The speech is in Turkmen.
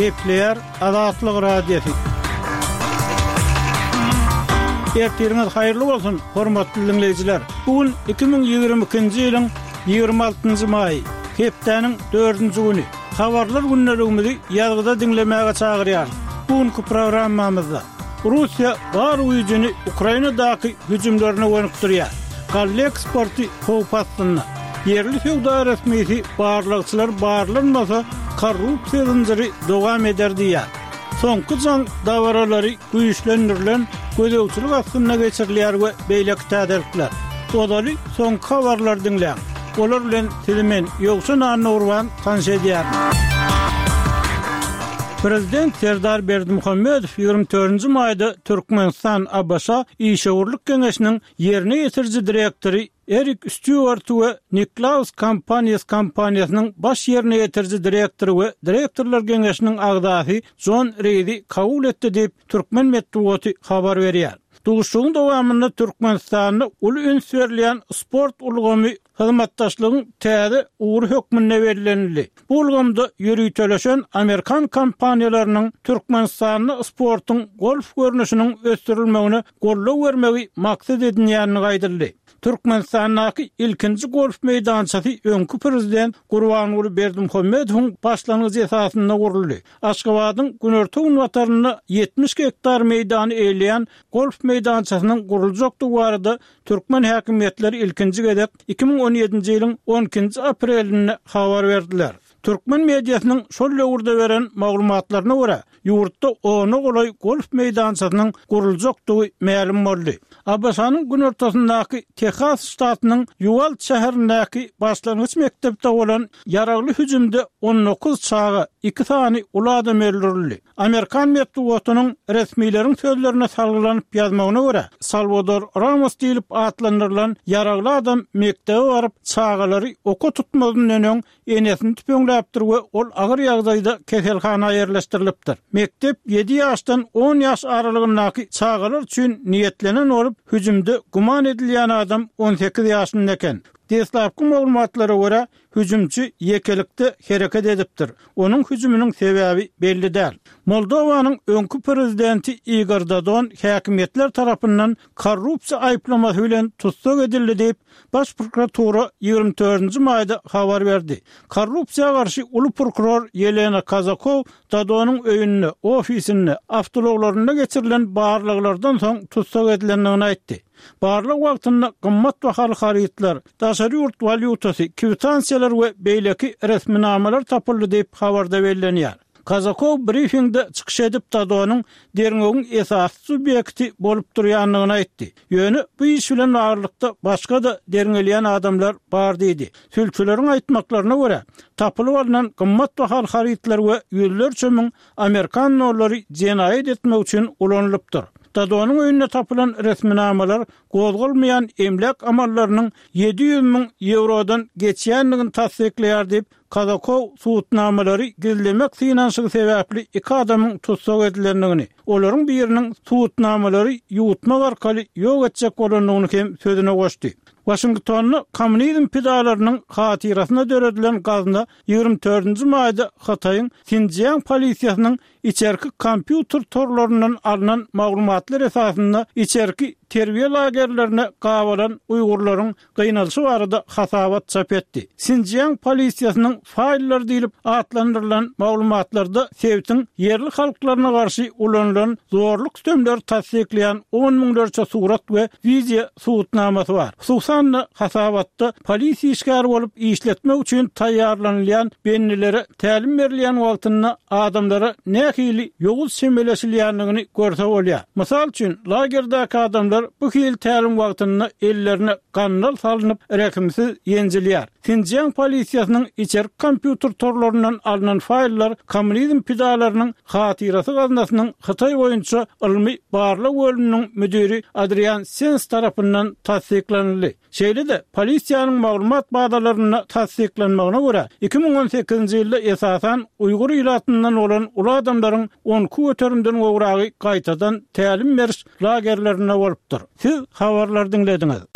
Gepleýär Azatlyk Radiosy. Ertiriňiz haýyrly bolsun, hormatly diňleýjiler! Bu gün 2022-nji ýylyň 26-njy maýy, hepdäniň dördünji güni. Habarlar gündeligimizi ýazgyda diňlemäge çagyrýarys. Bu günki programmamyzda. Russiýa bar güýjüni Ukrainadaky hüjümlerine gönükdirýär. Galla eksporty howp astynda. Ýerli söwda resmisi barlagçylar barlanmasa, korrupsiýa zynjyry dowam eder diýýär. Soňky jaň dabaralary güýçlendirilen gözegçilik astynda geçirilýär we beýleki täzelikler. Ozaly soňky habarlary diňläň. Olar bilen sizi men, Ýowşan Annagurban tanyş edýärin. Prezident Serdar Berdimuhamedow 24-nji maýda Türkmenistan-ABŞ işewürlik geňeşiniň ýerine ýetiriji direktory Erik Stýuarty we Niklaus Companies kompaniýasynyň baş ýerine ýetiriji direktory we direktorlar geňeşiniň agzasy Jon Reýdi kabul etdi diýip, türkmen metbugaty habar berýär. Duşuşygyň dowamynda Türkmenistanda uly üns berilýän sport ulgamy hyzmatdaşlygyň täze ugry hökmünde bellenildi. Bu ulgamda ýöriteleşen amerikan kompaniýalarynyň Türkmenistanda sportuň golf görnüşiniň ösdürilmegine goldaw bermegi maksat edinýändigi aýdyldy. Türkmenistandaky ilkinji golf meýdançasy öňki prezident Gurbanguly Berdimuhamedowyň başlangyjy esasynda guruldy. Aşgabadyň günorta-günbatarynda 70 gektar meýdany eýeleýän golf meýdançasynyň guruljakdygy barada Türkmen häkimiýetleri ilkinji gezek 2017-nji ýylyň on ikinji aprelinde habar berdiler. Türkmen mediasynyň şol döwürde beren maglumatlaryna görä, ýurtda ona golaý golf meýdançasynyň guruljakdygy mälim boldy. ABŞ-nyň günortasyndaky Tehas ştatynyň Ýuwald şäherindäki başlangyç mekdepde bolan ýaragly hüjümde 19 çaga, iki sany uly adam öldürildi. Amerikan metbugatynyň resmileriň sözlerine salgylanyp ýazmagyna görä, Salwador Ramos diýlip atlandyrylan ýaragly adam mekdebe baryp, çagalary oka tutmazyndan öň enesini tüpeňläpdir we ol agyr ýagdaýda keselhana ýerleşdirilipdir. Mekdep ýedi ýaşdan on ýaş aralygyndaky çagalar üçin niýetlenen bolup, hüjümde güman edilýän adam 18 ýaşynda eken. Deslapky maglumatlara görä, Hüjümçi ýekelikde hereket edipdir. Onuň hüjüminiň sebäbi belli däl. Moldowanyň öňki prezidenti Igor Dodon häkimiýetler tarapyndan korrupsiýa aýyplamasy bilen tussag edildi diýip, Baş prokuratura 24 nji maýda habar berdi. Korrupsiýa garşy uly prokuror Ýelena Kazakow Dodonyň öýünde, ofisinde, awtoulaglarynda geçirilen barlaglardan soň tussag edilendigini aýtdy. Barlag wagtynda gymmat bahaly harytlar, daşary ýurt walýutasy, kwitansiýalar we beýleki resminamalar tapyldy diýip, habarda bellenýär. Kazakow brifingde çykyş edip, Dodonyň derňewiň esasy subýekti bolup durýandygyny aýtdy. Ýöne bu iş bilen baglylykda başga-da derňelýän adamlar bar diýdi. Sülçüleriň aýtmaklaryna görä, tapylyp alnan gymmat bahaly harytlar we ýüzlerçe müň amerikan dollary jenaýat etmek üçin ulanylypdyr. Dodonyň öýünde tapylan resminamalar gozgalmaýan emläk amallarynyň 700 müň ýewrodan geçýändigini tassyklaýar diýip, Kazakow subutnamalary gizlemek synanyşygy sebäpli iki adamyň tussag edilendigini, olaryň biriniň subutnamalary ýuwutmak arkaly ýok etjek bolandygyny hem sözüne goşdy. Waşingtonda kommunizm pidalarynyň hatyrasyna döredilen gazna 24-nji maýda Hytaýyň Sinjiang polisiýasynyň içerki kompýuter torlaryndan alnan maglumatlar esasynda içerki terbiýe lagerlerine gabalan uýgurlaryň gynalyşy barada hasabat çap etdi. Sinjiang polisiýasynyň faýllary diýlip atlandyrylan maglumatlarda sebitiň ýerli halklaryna garşy ulanylan zorluk-sütemleri tassyklaýan on müňlerçe surat we wideo subutnamasy bar. Hususan-da, hasabatda polisiýa işgäri bolup işletmek üçin taýýarlanylýan bendilere tälim berilýän wagtynda adamlara nähili ýowuz çemeleşilýändigini görse bolýar. Mysal üçin, lagerdäki adamlar bu hili tälim wagtynda ellerine gandal salnyp, rehimsiz ýenjilýär. Sinjiang polisiýasynyň içerki kompýuter torlaryndan alnan faýllar kommunizm pidalarynyň hatyrasy gaznasynyň Hytaý boýunça ylmy barlag bölüminiň müdiri Adrian Sens tarapyndan tassyklanyldy. Şeýle-de, polisiýanyň maglumat bazalarynda tassyklanmagyna görä, 2018-nji ýylda esasan uýgur ilatyndan bolan uly adamlaryň 12 göterimden gowragy gaýtadan tälim beriş lagerlerinde bolupdyr. Siz habarlary diňlediňiz.